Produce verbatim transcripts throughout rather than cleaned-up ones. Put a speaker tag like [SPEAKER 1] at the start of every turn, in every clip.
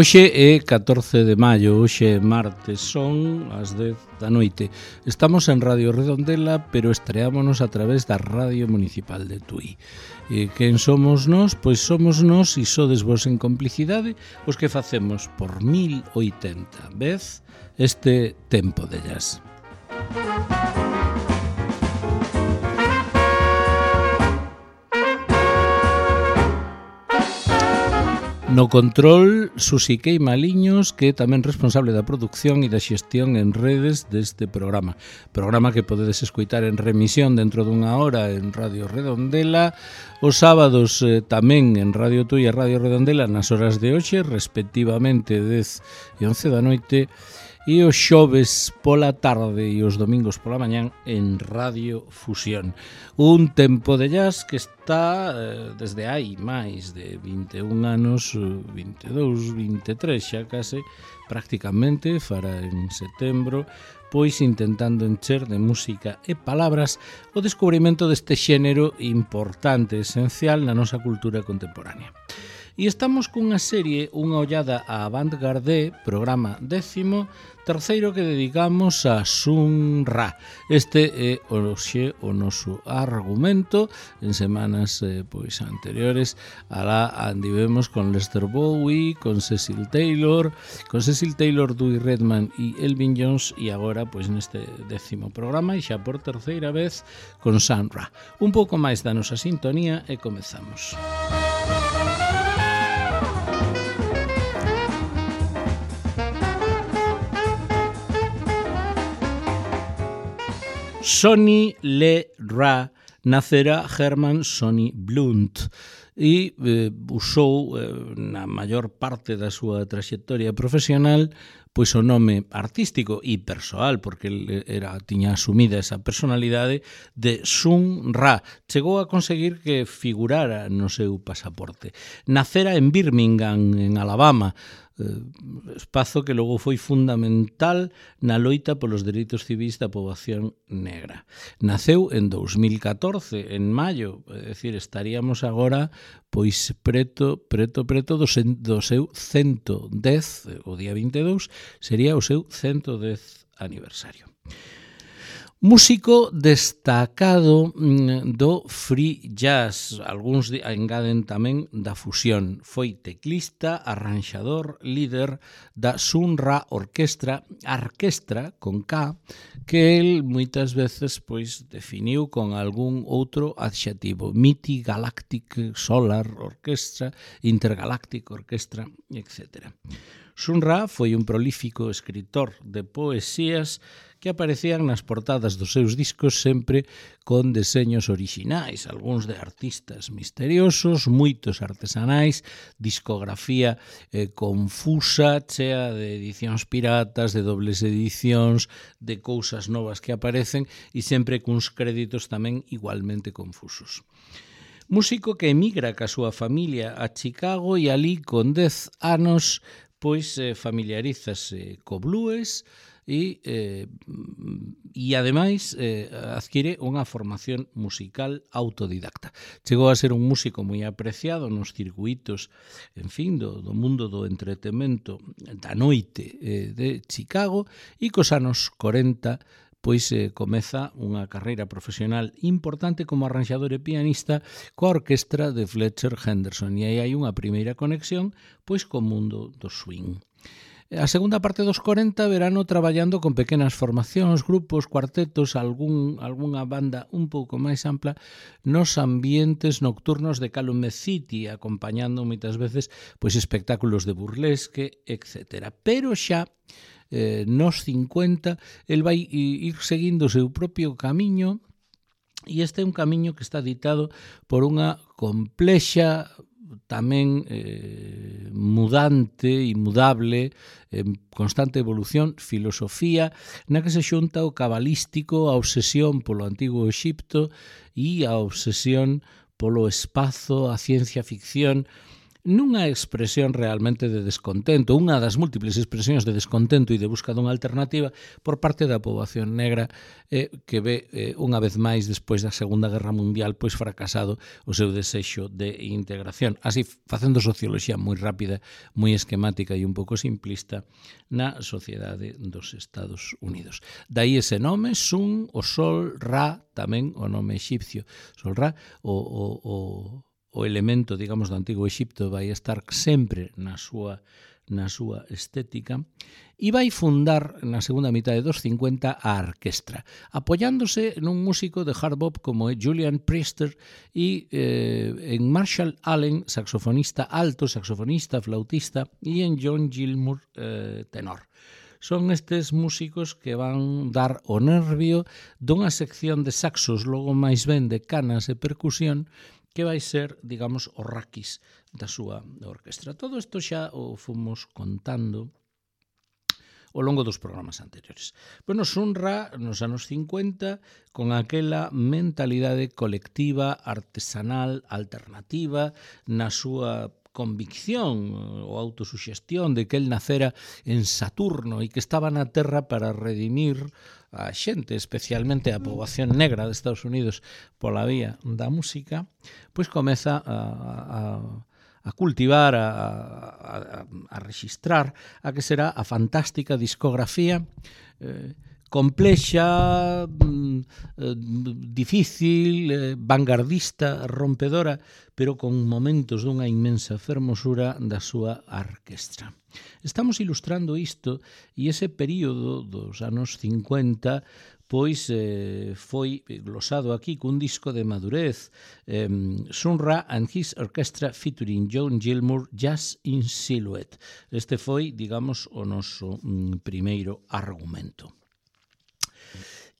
[SPEAKER 1] Hoxe é catorce de maio, hoxe é martes, son as dez da noite. Estamos en Radio Redondela, pero estreámonos a través da Radio Municipal de Tui. E quen somos nós? Pois somos nós, e sodes vos en complicidade, os que facemos por mil oitenta vez este tempo de jazz. No control, Susi Queimaliños, que é tamén responsable da produción e da xestión en redes deste programa. Programa que podedes escoitar en remisión dentro dunha hora en Radio Redondela, os sábados eh, tamén en Radio Tui e Radio Redondela nas horas de hoxe, respectivamente dez e once da noite, e os xoves pola tarde e os domingos pola mañán en Radio Fusión. Un tempo de jazz que está eh, desde hai máis de vinte e un anos, vinte e dous, vinte e tres xa case, prácticamente, fará en setembro, pois intentando encher de música e palabras o descubrimento deste xénero importante, esencial na nosa cultura contemporánea. E estamos cunha serie, unha ollada a Avant-Garde, programa décimo, terceiro que dedicamos a Sun Ra. Este é hoxe o noso argumento. En semanas eh, pois anteriores alá andivemos con Lester Bowie, con Cecil Taylor, con Cecil Taylor, Dewey Redman e Elvin Jones, e agora pois neste décimo programa e xa por terceira vez con Sun Ra. Un pouco máis da nosa sintonía e comezamos. Sonny Le Ra nacera Herman Sonny Blunt e eh, usou eh, na maior parte da súa traxectoria profesional pois o nome artístico e persoal, porque ele era, tiña asumida esa personalidade de Sun Ra. Chegou a conseguir que figurara no seu pasaporte. Nacera en Birmingham, en Alabama, espazo que logo foi fundamental na loita polos dereitos civis da poboación negra. Naceu en dous mil catorce, en maio, é dicir, estaríamos agora pois preto, preto, preto do, sen, do seu cento dez, o día vinte e dous, sería o seu cento dez aniversario. Músico destacado do free jazz, algúns engaden tamén da fusión. Foi teclista, arranxador, líder da Sun Ra Orquestra, Arquestra, con K, que el moitas veces pois definiu con algún outro adxetivo. Miti Galactic Solar Orchestra, Intergalactic Orchestra, etcétera. Sun Ra foi un prolífico escritor de poesías que aparecían nas portadas dos seus discos sempre con deseños orixinais, algúns de artistas misteriosos, moitos artesanais, discografía eh, confusa, chea de edicións piratas, de dobles edicións, de cousas novas que aparecen e sempre cuns créditos tamén igualmente confusos. Músico que emigra ca súa familia a Chicago e alí con dez anos pois eh, familiarízase co blues e, eh, e ademais eh, adquire unha formación musical autodidacta. Chegou a ser un músico moi apreciado nos circuitos, en fin, do, do mundo do entretemento da noite eh, de Chicago, e cos anos corenta pois eh, comeza unha carreira profesional importante como arranxador e pianista coa orquestra de Fletcher Henderson, e aí hai unha primeira conexión pois co mundo do swing. A segunda parte dos corenta verano traballando con pequenas formacións, grupos, cuartetos, algún, algunha banda un pouco máis ampla nos ambientes nocturnos de Calumet City, acompañando moitas veces pois espectáculos de burlesque, etcétera. Pero xa eh, nos cincuenta el vai ir seguindo o seu propio camiño, e este é un camiño que está ditado por unha complexa tamén eh, mudante e mudable, en constante evolución, filosofía, na que se xunta o cabalístico, a obsesión polo antigo Exipto e a obsesión polo espazo, a ciencia ficción nunha expresión realmente de descontento, unha das múltiples expresións de descontento e de busca dunha alternativa por parte da poboación negra eh, que ve eh, unha vez máis despois da Segunda Guerra Mundial pois fracasado o seu desexo de integración. Así, facendo socioloxía moi rápida, moi esquemática e un pouco simplista na sociedade dos Estados Unidos. Daí ese nome, Sun, o Sol, Ra, tamén o nome exipcio. Sol, Ra, o, o, o o elemento, digamos, do antigo Exipto vai estar sempre na súa na súa estética e vai fundar na segunda mitade dos cincuenta a orquestra, apoiándose nun músico de hard bop como é Julian Priester e eh, en Marshall Allen, saxofonista alto, saxofonista, flautista, e en John Gilmour, eh, tenor. Son estes músicos que van dar o nervio dunha sección de saxos, logo máis ben de canas e percusión, que vai ser, digamos, o raquis da súa orquestra. Todo isto xa o fomos contando ao longo dos programas anteriores. Bueno, Sun Ra, nos anos cincuenta, con aquela mentalidade colectiva, artesanal, alternativa, na súa convicción ou autosuxestión de que el nacera en Saturno e que estaba na Terra para redimir a xente, especialmente a poboación negra de Estados Unidos pola vía da música, pois comeza a, a, a cultivar, a, a, a registrar a que será a fantástica discografía eh, complexa, eh, difícil, eh, vanguardista, rompedora, pero con momentos dunha inmensa fermosura da súa orquestra. Estamos ilustrando isto e ese período dos anos cincuenta pois eh, foi glosado aquí cun disco de madurez, eh, Sun Ra and His Orchestra featuring John Gilmour, Jazz in Silhouette. Este foi, digamos, o noso mm, primeiro argumento.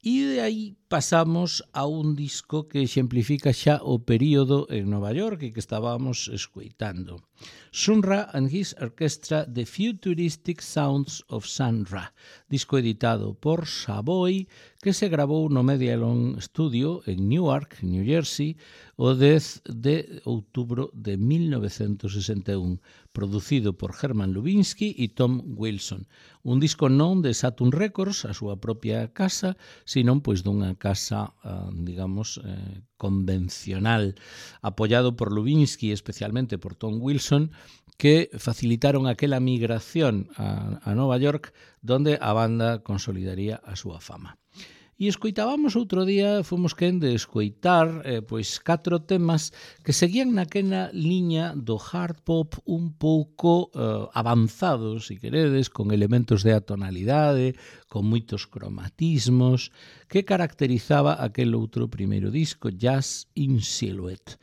[SPEAKER 1] E de aí pasamos a un disco que exemplifica xa o período en Nova York e que estábamos escoitando. Sun Ra and His Orchestra, The Futuristic Sounds of Sun Ra, disco editado por Savoy, que se grabou no Medialon Studio en Newark, New Jersey, o dez de outubro de mil novecentos sesenta e un, producido por Herman Lubinsky e Tom Wilson. Un disco non de Saturn Records, a súa propia casa, senón pois dunha casa, digamos, eh, convencional, apoiado por Lubinsky, especialmente por Tom Wilson, que facilitaron aquela migración a, a Nova York, donde a banda consolidaría a súa fama. E escoitábamos outro día, fomos quen de escoitar eh, pois catro temas que seguían naquela liña do hard pop un pouco eh, avanzados, se queredes, con elementos de atonalidade, con moitos cromatismos, que caracterizaba aquel outro primeiro disco, Jazz in Silhouette.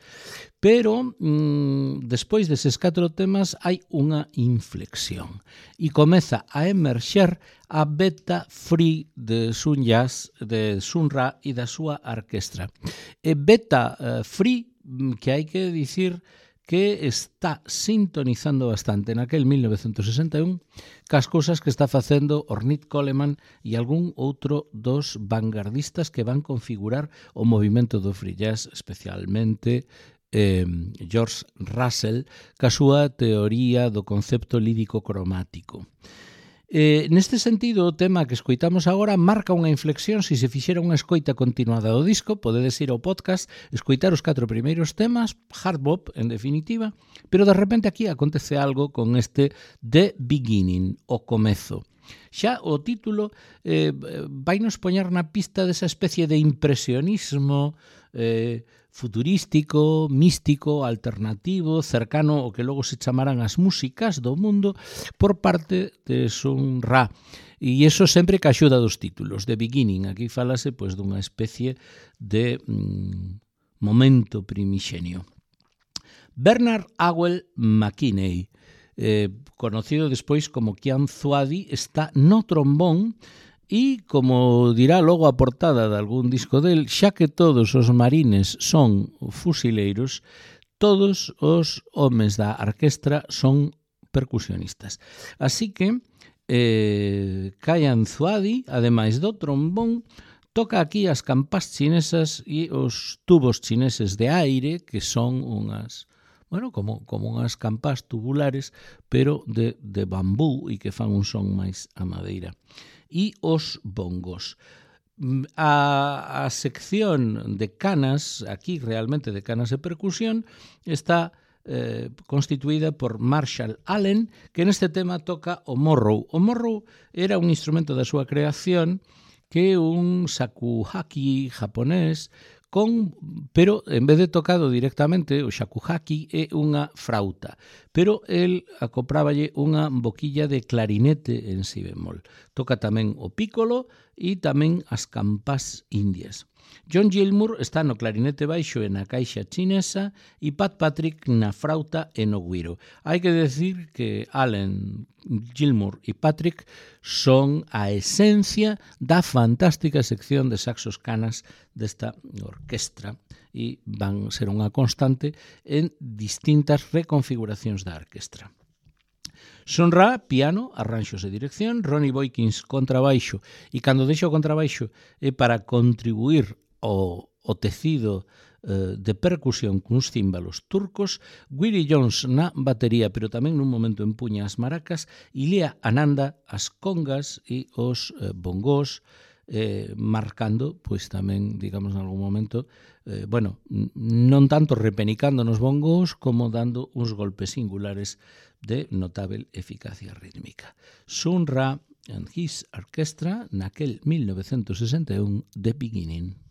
[SPEAKER 1] Pero, mmm, despois deses catro temas, hai unha inflexión e comeza a emerxer a beta free de Sun Jazz, de Sun Ra e da súa orquestra. E beta uh, free, que hai que dicir que está sintonizando bastante naquel mil novecentos sesenta e un cas cousas que está facendo Ornette Coleman e algún outro dos vanguardistas que van configurar o movimento do free jazz, especialmente Eh, George Russell, ca súa teoría do concepto lírico cromático. Eh, neste sentido, o tema que escoitamos agora marca unha inflexión. Se se fixera unha escoita continuada do disco, podedes ir ao podcast, escoitar os catro primeiros temas, hard bop, en definitiva, pero de repente aquí acontece algo con este The Beginning, o comezo. Xa o título eh, vai nos poñer na pista desa especie de impresionismo eh, futurístico, místico, alternativo, cercano ao que logo se chamarán as músicas do mundo por parte de Sun Ra. E iso sempre que axuda dos títulos. The Beginning, aquí falase pois dunha especie de mm, momento primixenio. Bernard Howell McKinney, eh, conocido despois como Kian Zuadi, está no trombón e, como dirá logo a portada de algún disco del, xa que todos os marines son fusileiros, todos os homes da orquestra son percusionistas. Así que eh, Kian Zuadi, ademais do trombón, toca aquí as campás chinesas e os tubos chineses de aire, que son unhas bueno, como, como unhas campás tubulares, pero de, de bambú e que fan un son máis a madeira. E os bongos. A, a sección de canas, aquí realmente de canas de percusión, está eh, constituída por Marshall Allen, que neste tema toca o morro. O morro era un instrumento da súa creación que é un shakuhachi japonés, con, pero en vez de tocado directamente, o shakuhachi é unha frauta, pero el acopráballe unha boquilla de clarinete en si bemol. Toca tamén o pícolo e tamén as campás indias. John Gilmour está no clarinete baixo e na caixa chinesa e Pat Patrick na frauta e no güiro. Hai que decir que Allen, Gilmour e Patrick son a esencia da fantástica sección de saxos canas desta orquestra e van ser unha constante en distintas reconfiguracións da orquestra. Sun Ra, piano, arranxos e dirección, Ronnie Boykins, contrabaixo, e cando deixo o contrabaixo é para contribuir ao, ao tecido eh, de percusión cuns címbalos turcos, Willie Jones na batería, pero tamén nun momento empuña as maracas, e Lea Ananda as congas e os eh, bongos, eh, marcando, pois tamén, digamos, en algún momento, eh, bueno, non tanto repenicando nos bongos como dando uns golpes singulares de notável eficacia rítmica. Sun Ra and his Orchestra naquel mil novecentos sesenta e un The Beginning.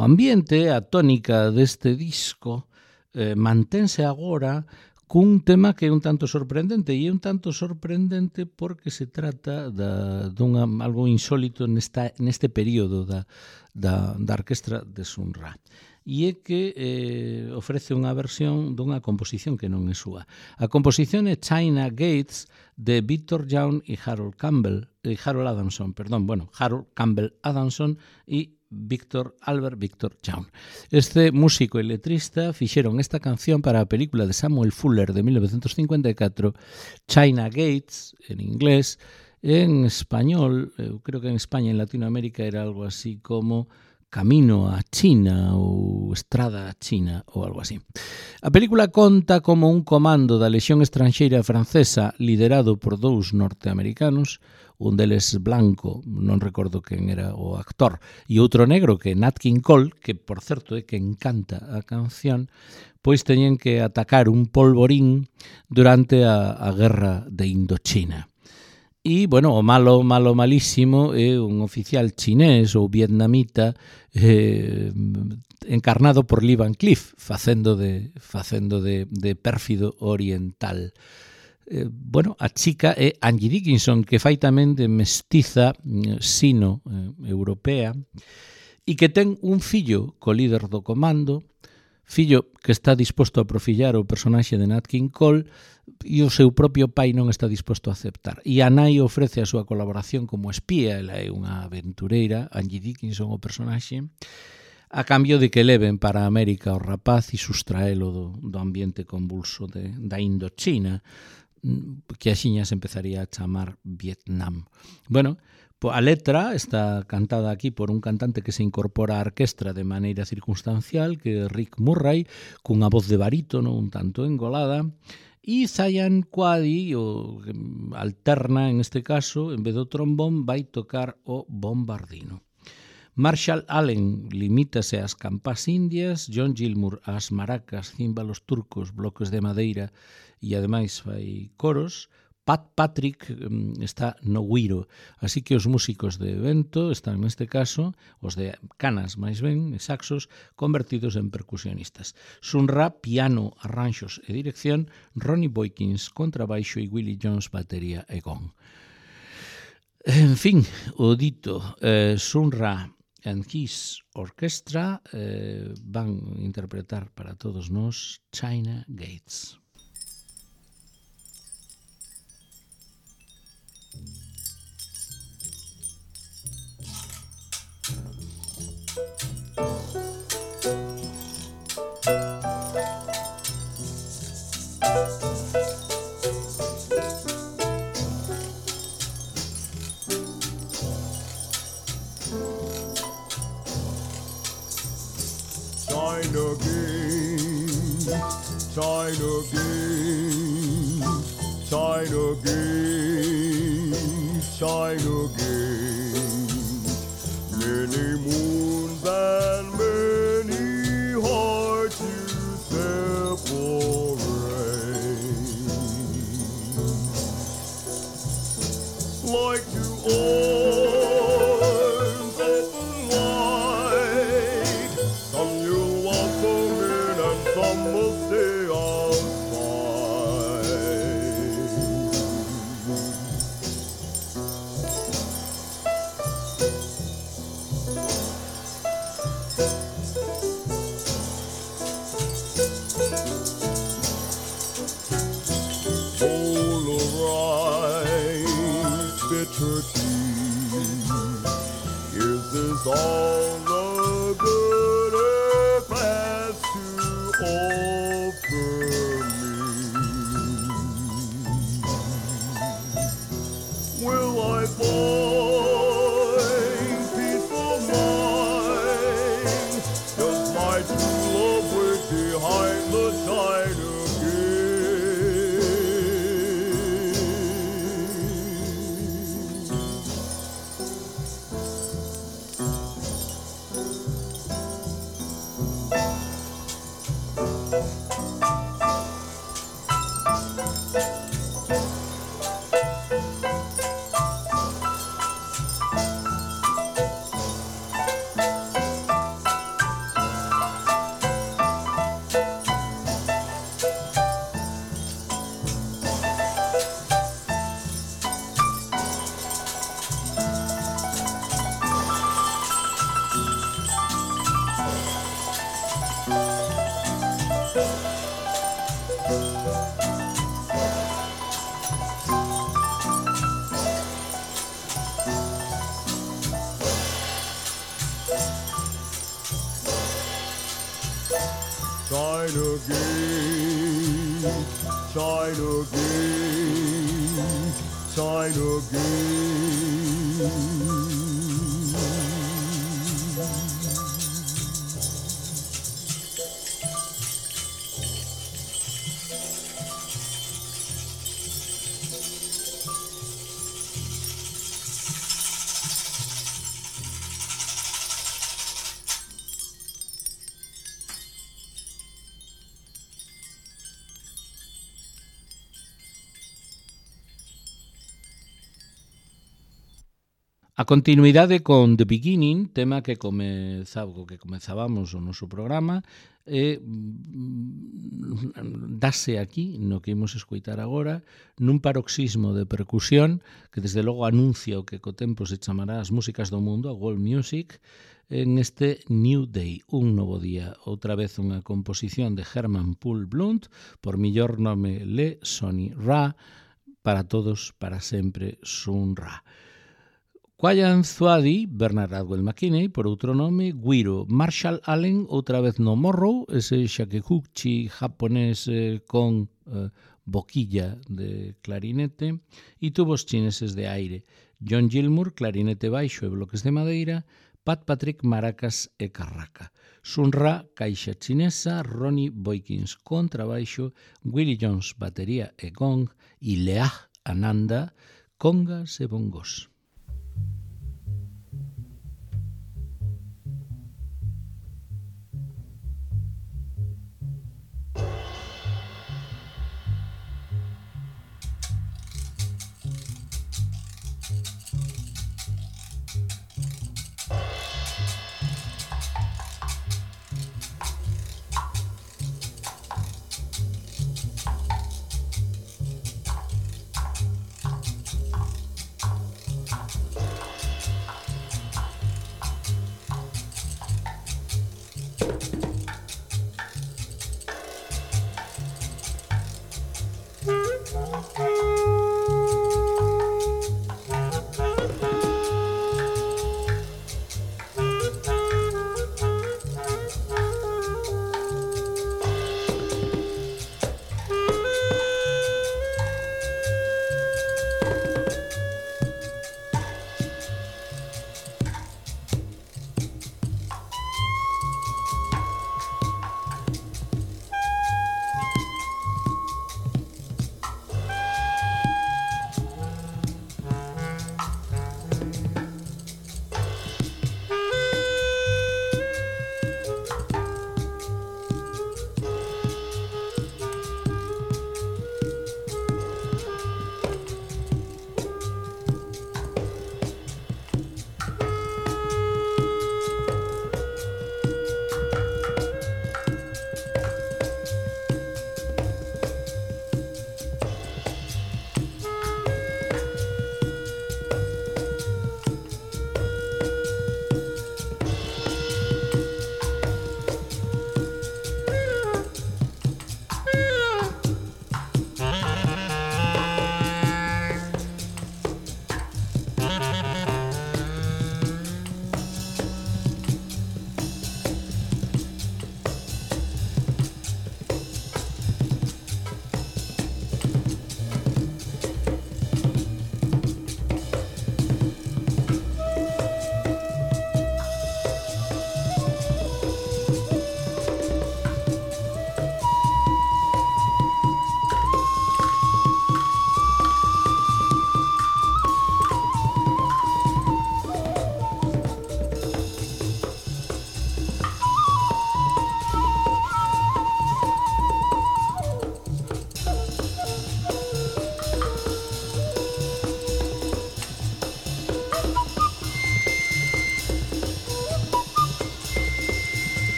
[SPEAKER 1] O ambiente, a tónica deste disco, eh, mantense agora cun tema que é un tanto sorprendente, e é un tanto sorprendente porque se trata da, dunha, algo insólito nesta, neste período da, da, da orquestra de Sun Ra. E é que eh, ofrece unha versión dunha composición que non é súa. A composición é China Gates de Victor Young e Harold Campbell, eh, Harold Adamson, perdón, bueno, Harold Campbell Adamson e Victor Albert Victor Young. Este músico e letrista fixeron esta canción para a película de Samuel Fuller de mil novecientos cincuenta e catro, China Gates, en inglés, en español, eu creo que en España, en Latinoamérica, era algo así como Camino a China ou Estrada a China ou algo así. A película conta como un comando da Lexión Estranxeira Francesa liderado por dous norteamericanos, un deles blanco, non recordo quen era o actor, e outro negro que é Nat King Cole, que por certo é que encanta a canción, pois teñen que atacar un polvorín durante a, a guerra de Indochina. E, bueno, o malo, malo, malísimo é un oficial chinés ou vietnamita eh, encarnado por Lee Van Cleef, facendo de, facendo de, de pérfido oriental. Eh, bueno, a chica é Angie Dickinson, que fai tamén de mestiza sino-europea e que ten un fillo co líder do comando, fillo que está disposto a profillar o personaxe de Nat King Cole e o seu propio pai non está disposto a aceptar. E a nai ofrece a súa colaboración como espía, ela é unha aventureira, Angie Dickinson o personaxe, a cambio de que leven para América o rapaz e sustraelo do, do ambiente convulso de, da Indochina, que axiña se empezaría a chamar Vietnam. Bueno, a letra está cantada aquí por un cantante que se incorpora á orquestra de maneira circunstancial, que é Rick Murray, cunha voz de barítono un tanto engolada, e Zayan Quadi, o alterna en este caso, en vez do trombón, vai tocar o bombardino. Marshall Allen limítase ás campás indias, John Gilmour ás maracas, címbalos turcos, bloques de madeira e ademais fai coros. Pat Patrick está no güiro, así que os músicos de vento están neste caso, os de canas máis ben, saxos, convertidos en percusionistas. Sun Ra, piano, arranxos e dirección, Ronnie Boykins, contrabaixo e Willie Jones, batería e gong. En fin, o dito, eh, Sun Ra and his orchestra eh, van interpretar para todos nós China Gates.
[SPEAKER 2] China Gates, China Gates, China Gates, China Gates. Many moons and many hearts you separate. Like two arms open wide, some you'll welcome in and some will stay Polarized bitter tea. Is this all the good earth has to offer me? Will I find peace of mind? Does my true love wait behind the China China Gate, China Gate, China Gate.
[SPEAKER 1] A continuidade con The Beginning, tema que comeza, que comezábamos o noso programa, e dase aquí, no que imos escoitar agora, nun paroxismo de percusión que desde logo anuncia o que co tempo se chamará as músicas do mundo, a world music, en este New Day, un novo día. Outra vez unha composición de Herman Paul Blunt, por millor nome Le Sonny Ra, para todos, para sempre, Sun Ra. Kwayan Zuadi, Bernard Atwell McKinney, por outro nome, Guiro, Marshall Allen, outra vez no morro, ese shakuhachi japonés eh, con eh, boquilla de clarinete, e tubos chineses de aire, John Gilmour, clarinete baixo e bloques de madeira, Pat Patrick, maracas e carraca, Sun Ra, caixa chinesa, Ronnie Boykins, contrabaixo, Willie Jones, batería e gong, e Leah Ananda, congas e bongos.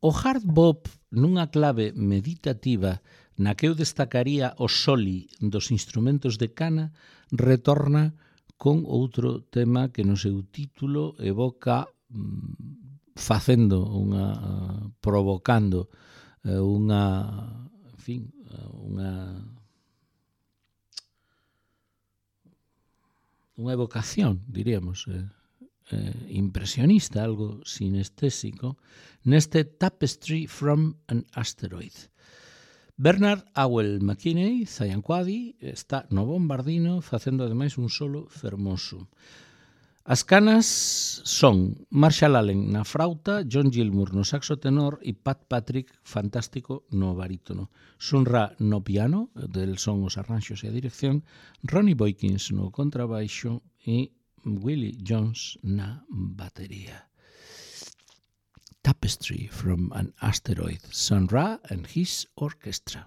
[SPEAKER 1] O hard bop nunha clave meditativa na que eu destacaría o soli dos instrumentos de cana retorna con outro tema que no seu título evoca facendo unha provocando unha, en fin, unha unha evocación, diríamos, eh, eh, impresionista, algo sinestésico, neste Tapestry from an Asteroid. Bernard Howell McKinney, Zayanquadi, está no bombardino facendo ademais un solo fermoso. As canas son Marshall Allen na frauta, John Gilmour no saxo tenor e Pat Patrick, fantástico, no barítono. Sun Ra no piano, del son os arranxos e a dirección, Ronnie Boykins no contrabaixo e Willie Jones na batería. Tapestry from an Asteroid, Sun Ra and his orchestra.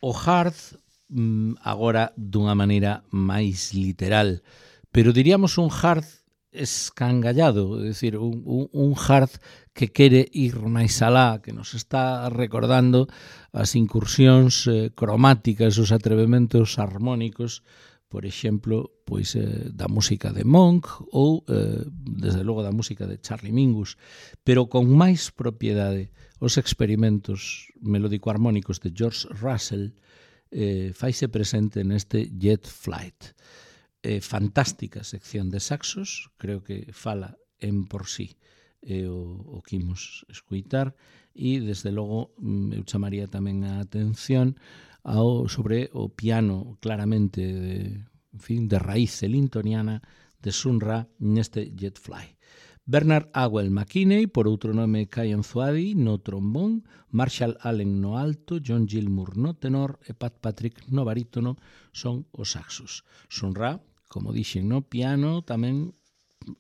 [SPEAKER 1] o hard agora dunha maneira máis literal, pero diríamos un hard escangallado, é dicir, un, un, un hard que quere ir máis alá, que nos está recordando as incursións eh, cromáticas, os atrevementos harmónicos, por exemplo, pois eh, da música de Monk ou, eh, desde logo, da música de Charlie Mingus, pero con máis propiedade. Os experimentos melódico-harmónicos de George Russell eh, faise presente neste Jet Flight. Eh, fantástica sección de saxos, creo que fala en por sí eh, o, o que imos escuitar, e desde logo eu chamaría tamén a atención ao, sobre o piano claramente de, en fin, de raíz elintoniana de Sun Ra neste Jet Fly. Bernard Howell McKinney, por outro nome Kyan Zuadi, no trombón, Marshall Allen no alto, John Gilmour no tenor e Pat Patrick no barítono son os saxos. Sun Ra, como dixen, no piano, tamén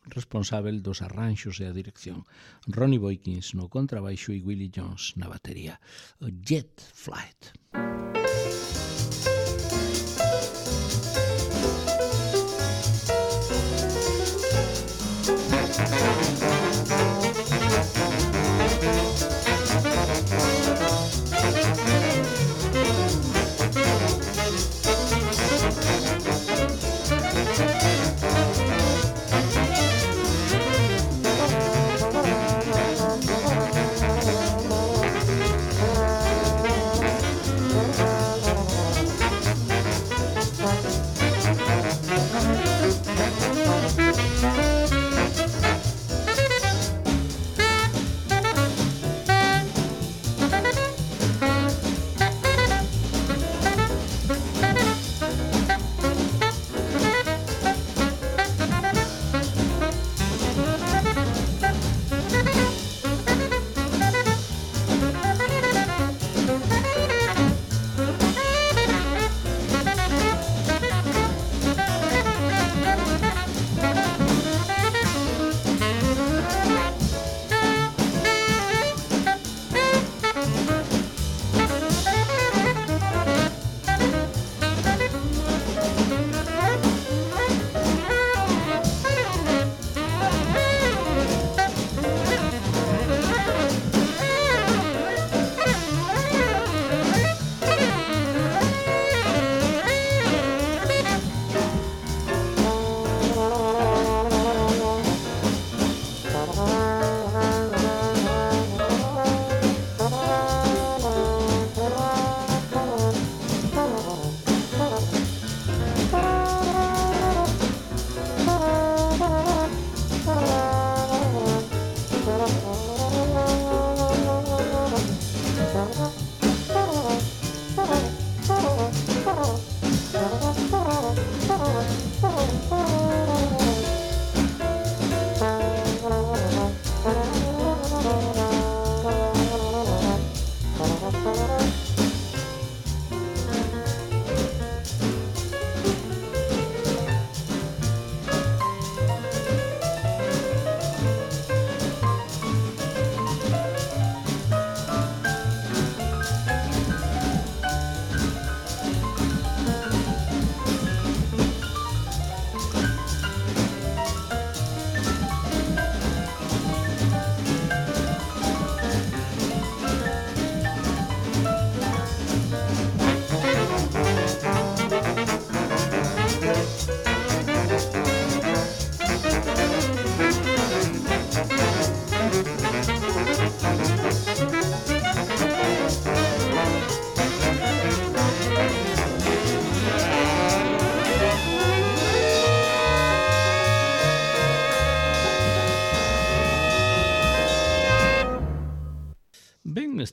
[SPEAKER 1] responsável dos arranxos e a dirección. Ronnie Boykins no contrabaixo e Willie Jones na batería. O Jet Flight.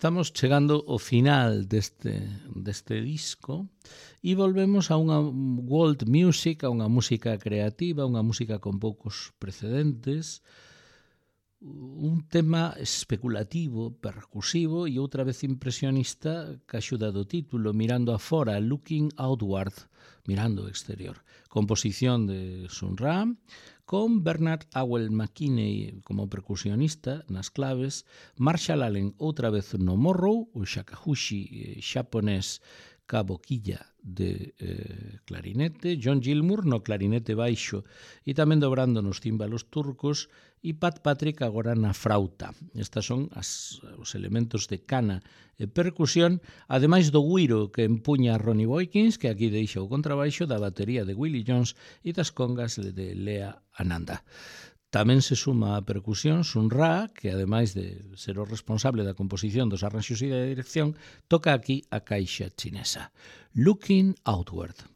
[SPEAKER 1] Estamos chegando ao final deste, deste disco e volvemos a unha world music, a unha música creativa, unha música con poucos precedentes, un tema especulativo, percusivo e outra vez impresionista que axuda do título, mirando afora, looking outward, mirando ao exterior. Composición de Sun Ra, con Bernard Howell McKinney como percusionista nas claves, Marshall Allen outra vez no morro, o shakuhachi xaponés ca boquilla de eh, clarinete, John Gilmour no clarinete baixo e tamén dobrando nos címbalos turcos e Pat Patrick agora na frauta. Estas son as, os elementos de cana e percusión, ademais do guiro que empuña Ronnie Boykins, que aquí deixa o contrabaixo, da batería de Willie Jones e das congas de Lea Ananda. Tamén se suma a percusión Sun Ra, que ademais de ser o responsable da composición dos arranxos e da dirección, toca aquí a caixa chinesa. Looking Outward.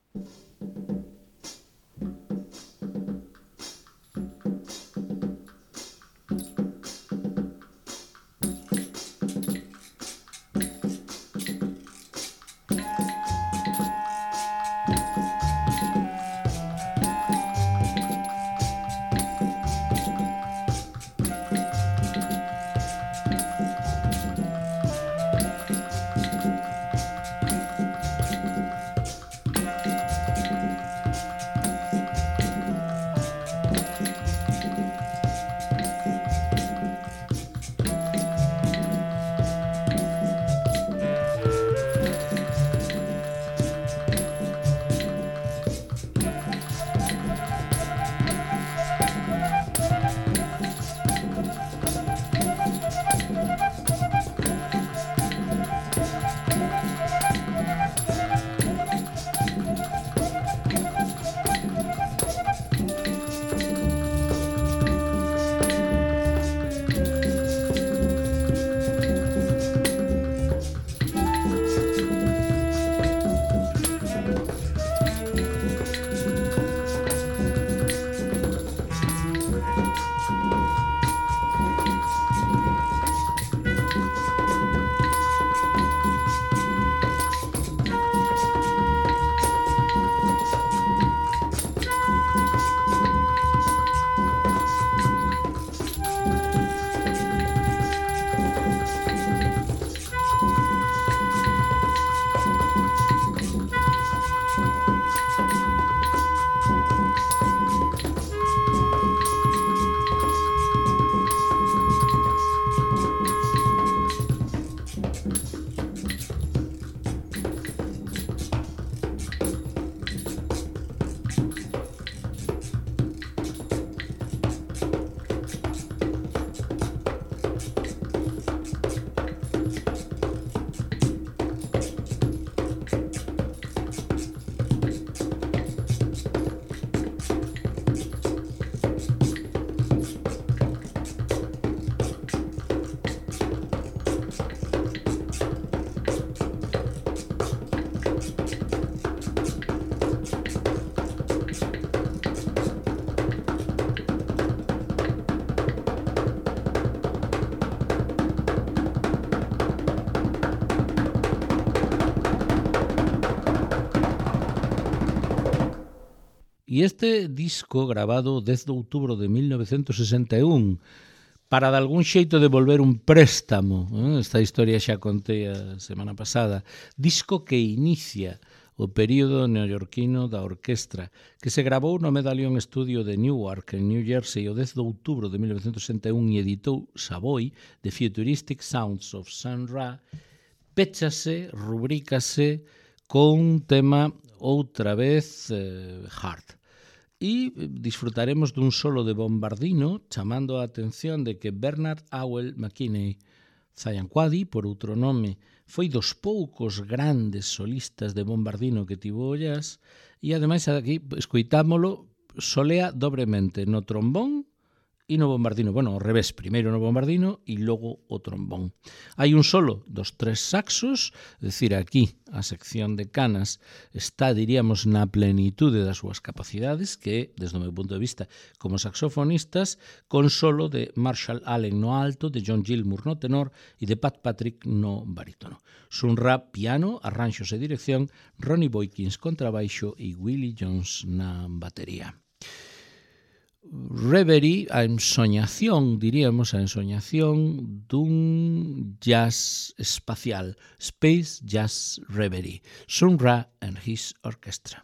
[SPEAKER 1] E este disco, grabado o dez de outubro de mil novecentos sesenta e un, para de algún xeito devolver un préstamo, eh? Esta historia xa contei a semana pasada, disco que inicia o período neoyorquino da orquestra, que se gravou no Medallion Studio de Newark, en New Jersey, o dez de outubro de mil novecentos sesenta e un, e editou Savoy, The Futuristic Sounds of Sun Ra, péchase, rubrícase con un tema outra vez eh, hard. E disfrutaremos dun solo de bombardino, chamando a atención de que Bernard Howell McKinney Zayanquadi, por outro nome, foi dos poucos grandes solistas de bombardino que tivo o jazz, e ademais aquí escoitámolo solea dobremente no trombón e no bombardino. Bueno, ao revés, primeiro no bombardino e logo o trombón. Hai un solo dos tres saxos, é dicir, aquí a sección de canas está, diríamos, na plenitude das súas capacidades, que, desde o meu punto de vista, como saxofonistas, con solo de Marshall Allen no alto, de John Gilmour no tenor e de Pat Patrick no barítono. Sun Ra, piano, arranxos e dirección, Ronnie Boykins contrabaixo e Willie Jones na batería. Reverie, a ensoñación, diríamos, a ensoñación dun jazz espacial, Space Jazz Reverie, Sun Ra and his orchestra.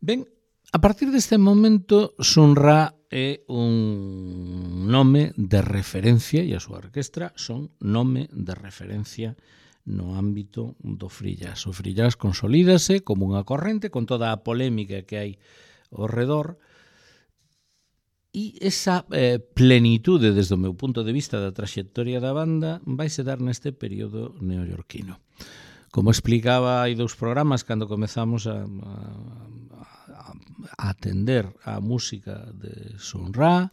[SPEAKER 1] Ben, a partir deste momento, Sun Ra é un nome de referencia, e a súa orquestra son nome de referencia no ámbito do free jazz. O free jazz consolídase como unha corrente con toda a polémica que hai ao redor, e esa eh, plenitude, desde o meu punto de vista da traxectoria da banda, vai se dar neste período neoyorquino. Como explicaba hai dous programas cando comezamos a, a, a atender a música de Sun Ra,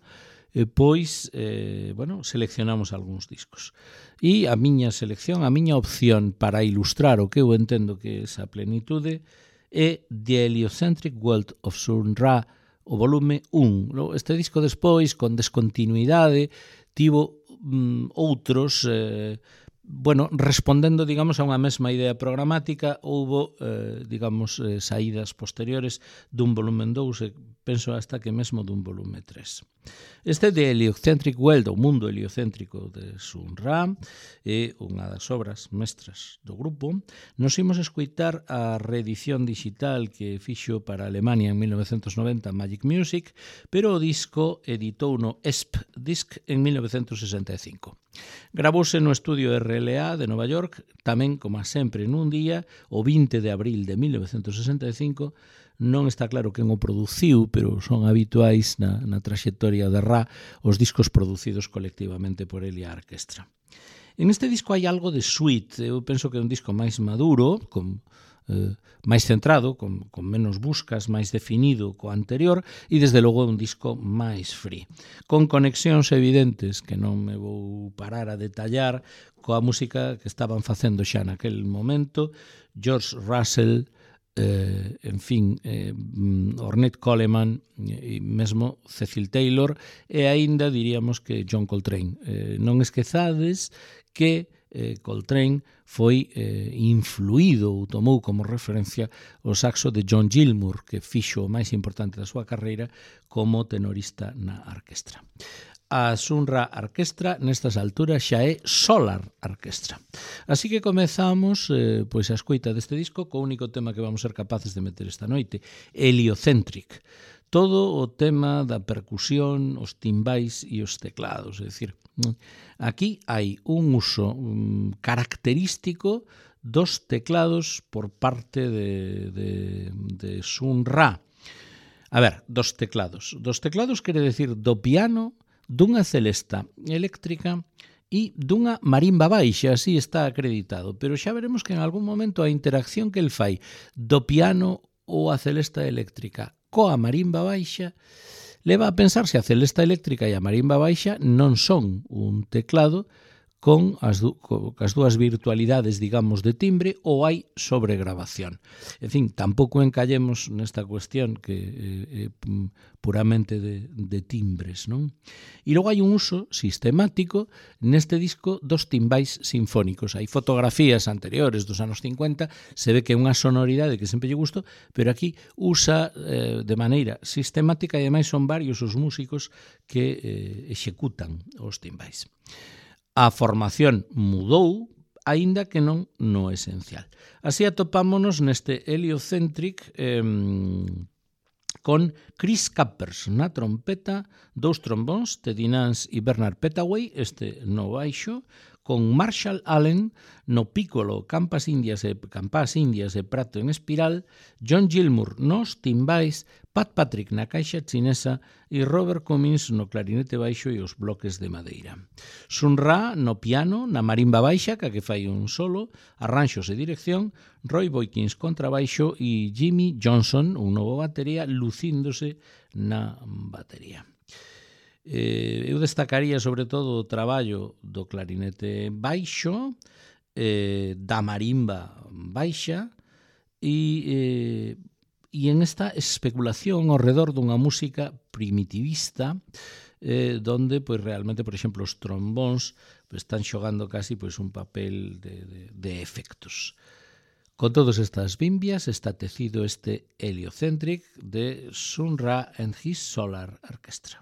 [SPEAKER 1] e pois, eh, bueno, seleccionamos algúns discos. E a miña selección, a miña opción para ilustrar o que eu entendo que é esa plenitude é The Heliocentric World of Sun Ra, o volume un. Este disco despois, con descontinuidade, tivo mm, outros, eh, bueno, respondendo, digamos, a unha mesma idea programática, houbo, eh, digamos, eh, saídas posteriores dun volumen dous, e penso hasta que mesmo dun volume tres. Este de Heliocentric World, o mundo heliocéntrico de Sun Ra, é unha das obras mestras do grupo. Nos imos escoitar a reedición digital que fixo para Alemania en mil novecentos noventa Magic Music, pero o disco editou no E S P Disc en mil novecentos sesenta e cinco. Gravouse no estudio R L A de Nova York, tamén, como sempre, nun día, o vinte de abril de mil novecentos sesenta e cinco. Non está claro quen o produciu, pero son habituais na, na traxectoria de Ra os discos producidos colectivamente por ele e a orquestra. En este disco hai algo de suite. Eu penso que é un disco máis maduro, con, eh, máis centrado, con, con menos buscas, máis definido co anterior, e desde logo é un disco máis free, con conexións evidentes que non me vou parar a detallar coa música que estaban facendo xa naquel momento George Russell, Eh, en fin, eh, Ornette Coleman e mesmo Cecil Taylor, e aínda diríamos que John Coltrane. Eh, non esquezades que eh, Coltrane foi eh, influído ou tomou como referencia o saxo de John Gilmour, que fixo o máis importante da súa carreira como tenorista na orquestra. A Sun Ra Orquestra nestas alturas xa é Solar Orquestra. Así que comezamos eh, pois a escoita deste disco co único tema que vamos ser capaces de meter esta noite, Heliocentric. Todo o tema da percusión, os timbais e os teclados. É dicir, aquí hai un uso um, característico dos teclados por parte de, de, de Sun Ra. A ver, dos teclados. Dos teclados quere decir do piano, dunha celesta eléctrica e dunha marimba baixa, así está acreditado. Pero xa veremos que en algún momento a interacción que el fai do piano ou a celesta eléctrica coa marimba baixa leva a pensar se a celesta eléctrica e a marimba baixa non son un teclado con as, du, con as dúas virtualidades, digamos, de timbre, ou hai sobregrabación. En fin, tampouco encallemos nesta cuestión que é eh, puramente de, de timbres, non? E logo hai un uso sistemático neste disco dos timbais sinfónicos. Hai fotografías anteriores dos anos cincuenta, se ve que é unha sonoridade que sempre lle gusto, pero aquí usa eh, de maneira sistemática, e ademais son varios os músicos que eh, executan os timbais. A formación mudou, aínda que non no esencial. Así atopámonos neste Heliocentric eh, con Chris Cappers na trompeta, dous trombóns, Teddy Nance e Bernard Petaway, este no baixo, con Marshall Allen no pícolo, campas indias e campas indias e prato en espiral, John Gilmour nos timbais, Pat Patrick na caixa chinesa e Robert Cummins no clarinete baixo e os bloques de madeira. Sun Ra no piano, na marimba baixa, ca que fai un solo, arranxos e dirección, Roy Boykins contrabaixo e Jimmy Johnson, un novo batería, lucíndose na batería. Eh, eu destacaría sobre todo o traballo do clarinete baixo, eh, da marimba baixa e, eh, e en esta especulación ao redor dunha música primitivista, eh, donde pois realmente, por exemplo, os trombóns pois, están xogando casi pois, un papel de, de, de efectos. Con todas estas bimbias está tecido este Heliocentric de Sun Ra and his Solar Orchestra.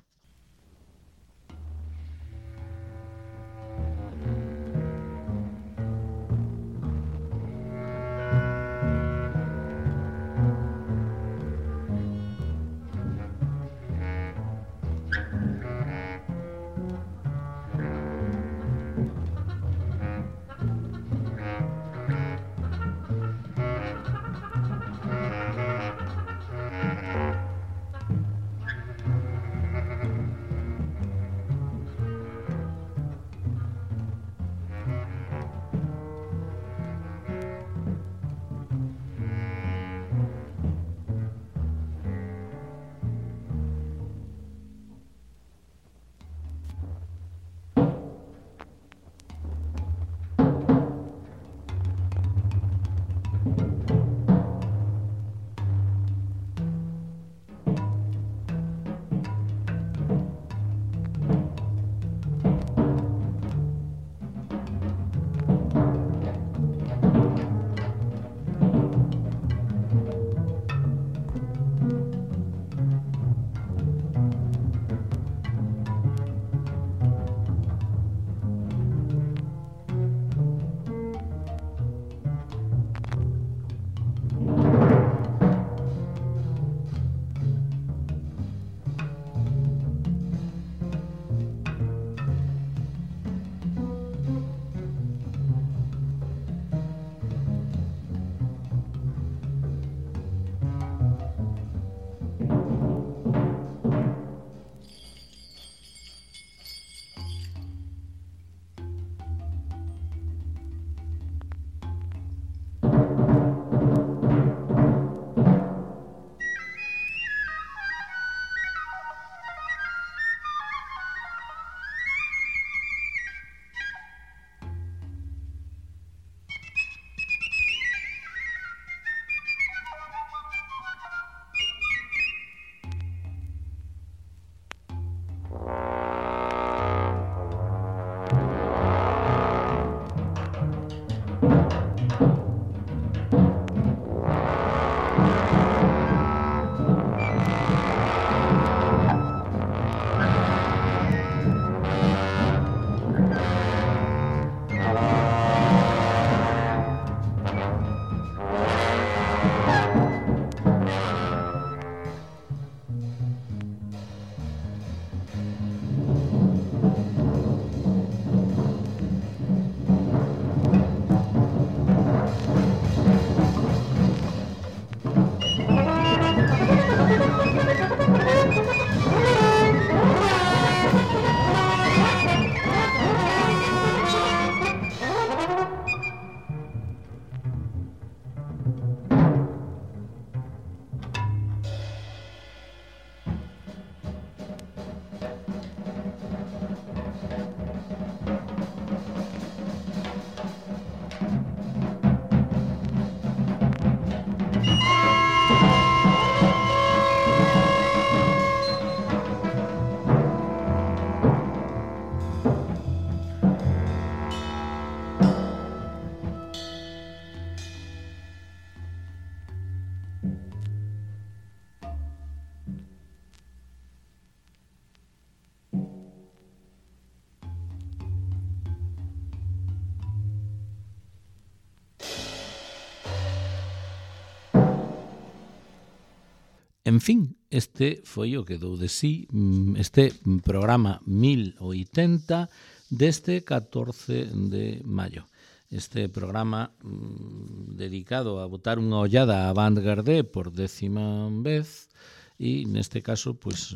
[SPEAKER 1] En fin, este foi o que dou de sí este programa mil oitenta deste catorce de maio. Este programa mmm, dedicado a botar unha ollada a Avantgarde por décima vez e neste caso, pois,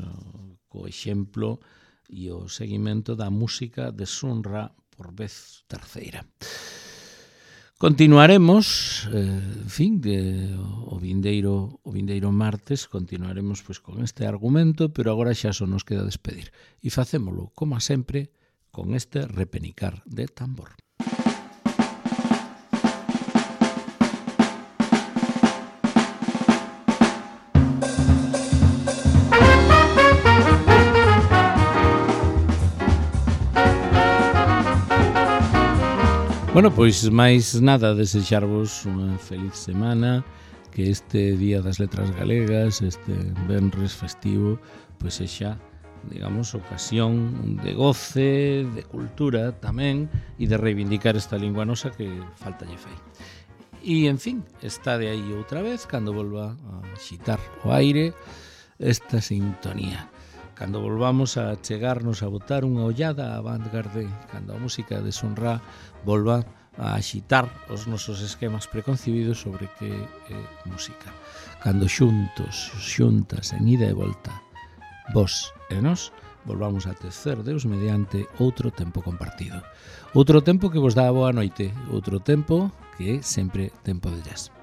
[SPEAKER 1] co exemplo e o seguimento da música de Sun Ra por vez terceira. Continuaremos, eh, en fin, de, o vindeiro o vindeiro martes continuaremos pois con este argumento, pero agora xa só nos queda despedir. E facémolo, como sempre, con este repenicar de tambor. Bueno, pois máis nada, desexarvos unha feliz semana, que este Día das Letras Galegas, este venres festivo, pois sexa, digamos, ocasión de goce, de cultura tamén, e de reivindicar esta lingua nosa que falta lle fai. E, en fin, está de aí outra vez, cando volva a xitar o aire esta sintonía. Cando volvamos a chegarnos a botar unha ollada a Avantgarde, cando a música de Sun Ra volva a axitar os nosos esquemas preconcebidos sobre que é música. Cando xuntos, xuntas, en ida e volta, vos e nós, volvamos a tecer Deus mediante outro tempo compartido. Outro tempo que vos dá a boa noite, outro tempo que é sempre tempo de jazz.